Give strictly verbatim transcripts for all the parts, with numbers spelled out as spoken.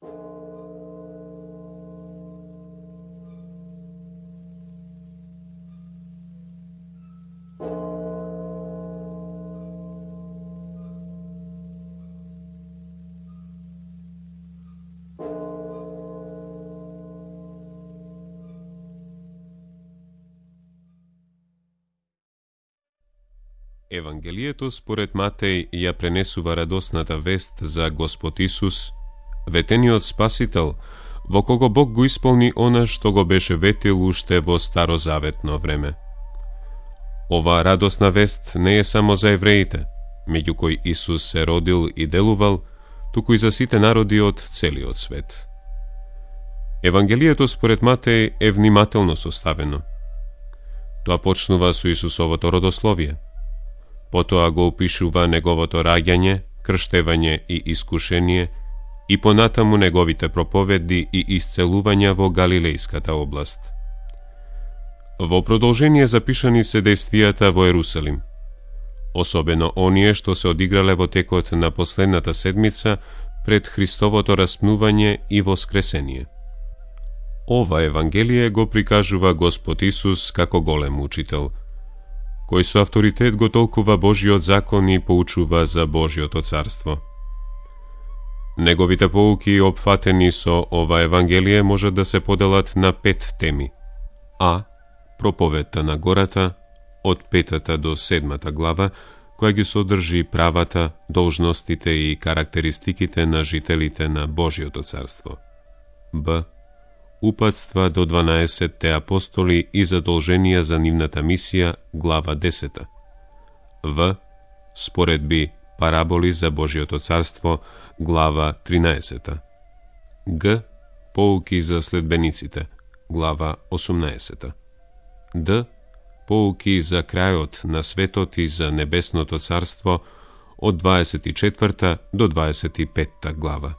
Евангелието според Матеј ја пренесува радосната вест за Господ Исус, ветениот Спасител, во кого Бог го исполни она што го беше ветил уште во старозаветно време. Ова радосна вест не е само за евреите, меѓу кои Исус се родил и делувал, туку и за сите народи од целиот свет. Евангелието според Матеј е внимателно составено. Тоа почнува со Исусовото родословие. Потоа го опишува неговото раѓање, крштевање и искушение и понатаму неговите проповеди и исцелувања во Галилејската област. Во продолжение запишани се дејствијата во Ерусалим, особено оние што се одиграле во текот на последната седмица пред Христовото распнување и воскресение. Ова Евангелие го прикажува Господ Исус како голем учител, кој со авторитет го толкува Божиот закон и поучува за Божиото царство. Неговите поуки опфатени со ова Евангелие можат да се поделат на пет теми. А. Проповедта на гората, од петата до седмата глава, која ги содржи правата, должностите и карактеристиките на жителите на Божиото царство. Б. Упатства до дванаесетте апостоли и задолженија за нивната мисија, глава десета. В. Споредби, параболи за Божиото царство, глава тринаесета. Г. Поуки за следбениците, глава осумнаесета. Д. Поуки за крајот на светот и за небесното царство, од дваесет и четврта до дваесет и петта глава.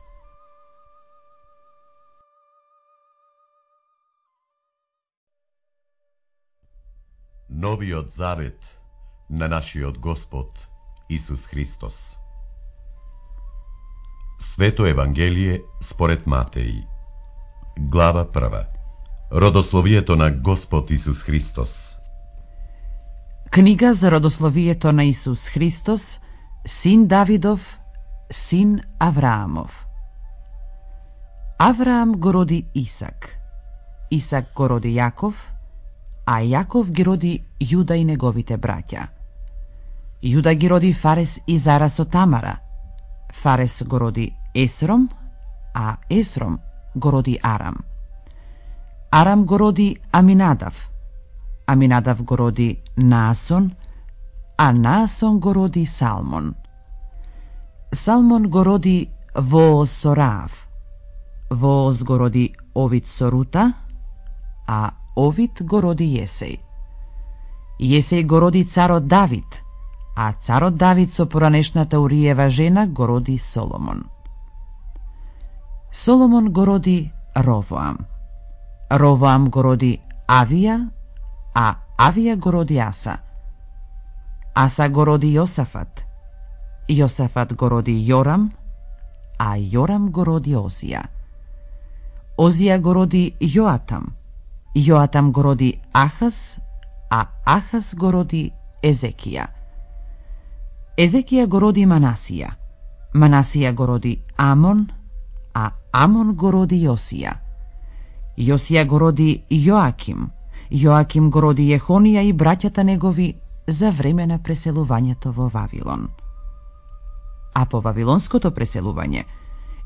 Новиот завет на нашиот Господ Исус Христос. Свето Евангелие според Матеј. Глава прва. Родословието на Господ Исус Христос. Книга за родословието на Исус Христос, син Давидов, син Авраамов. Авраам го роди Исак, Исак го роди Јаков, а Јаков ги роди Јуда и неговите браќа. Јуда ги роди Фарес и Зара со Тамара. Фарес го роди Есром, а Есром го роди Арам. Арам го роди Аминадав. Аминадав го роди Наасон, а Наасон го роди Салмон. Салмон го роди Вооз со Раав. Вооз го роди Овид со Рута, а Овид го роди Јесеј. Јесеј го роди царот Давид, а царот Давид со поранешната Уриева жена го роди Соломон. Соломон го роди Ровоам. Ровоам го роди Авија, а Авија го роди Аса. Аса го роди Јосафат. Јосафат го роди Јорам, а Јорам го роди Озија. Озија го роди Јоатам. Јоатам го роди Ахаз, а Ахаз го роди Езекија. Езекија го роди Манасија. Манасија го роди Амон, а Амон го роди Јосија. Јосија го роди Јоаким. Јоаким го роди Јехонија и браќата негови за време на преселувањето во Вавилон. А по вавилонското преселување,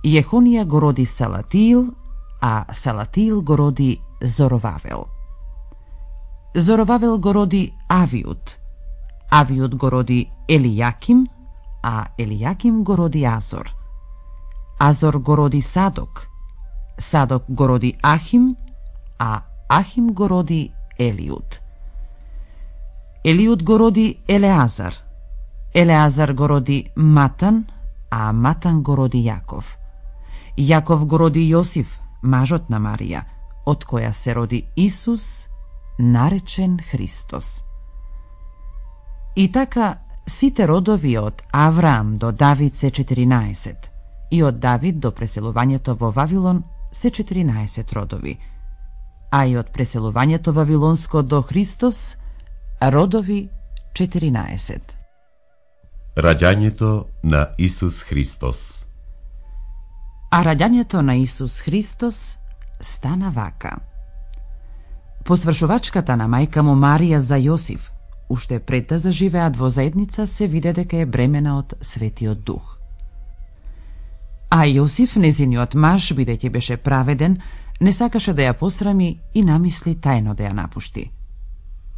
Јехонија го роди Салатиил, а Салатиил го роди Зоровавел. Зоровавел го роди Авиуд. Авиуд го роди Елијаким, а Елијаким го роди Азор. Азор го роди Садок. Садок го роди Ахим, а Ахим го роди Елиуд. Елиуд го роди Елеазар. Елеазар го роди Матан, а Матан го роди Јаков. Јаков го роди Јосиф, мажот на Марија, од која се роди Исус, наречен Христос. И така, сите родови од Авраам до Давид се четиринаесет, и од Давид до преселувањето во Вавилон се четиринаесет родови, а и од преселувањето вавилонско до Христос родови четиринаесет. Раѓањето на Исус Христос. А раѓањето на Исус Христос стана вака. По свршувачката на мајка му Марија за Јосиф, уште пред да заживеат во заедница, се виде дека е бремена од Светиот Дух. А Јосиф, незиниот маж, бидејќи беше праведен, не сакаше да ја посрами и намисли тајно да ја напушти.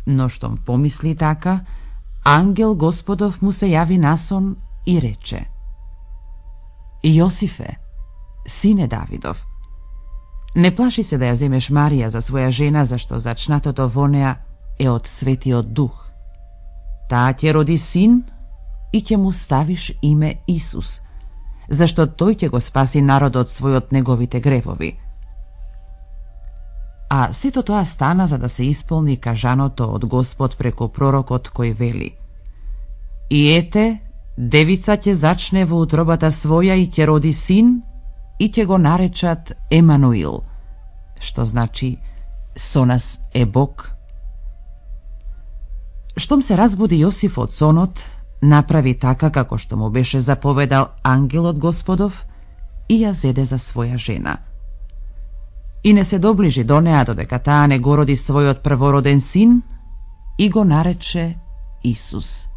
Но штом помисли така, ангел Господов му се јави на сон и рече: Јосифе, сине Давидов, не плаши се да ја земеш Марија за своја жена, зашто зачнатото во неа е од Светиот Дух. Таа ќе роди син и ќе му ставиш име Исус, зашто тој ќе го спаси народот свој од неговите гревови. А сето тоа стана за да се исполни кажаното од Господ преку пророкот кој вели: И ете, девица ќе зачне во утробата своја и ќе роди син и ќе го наречат Емануил, што значи со нас е Бог. Штом се разбуди Јосиф од сонот, направи така како што му беше заповедал ангелот Господов и ја зеде за своја жена. И не се доближи до неа додека таа не го роди својот првороден син и го нарече Исус.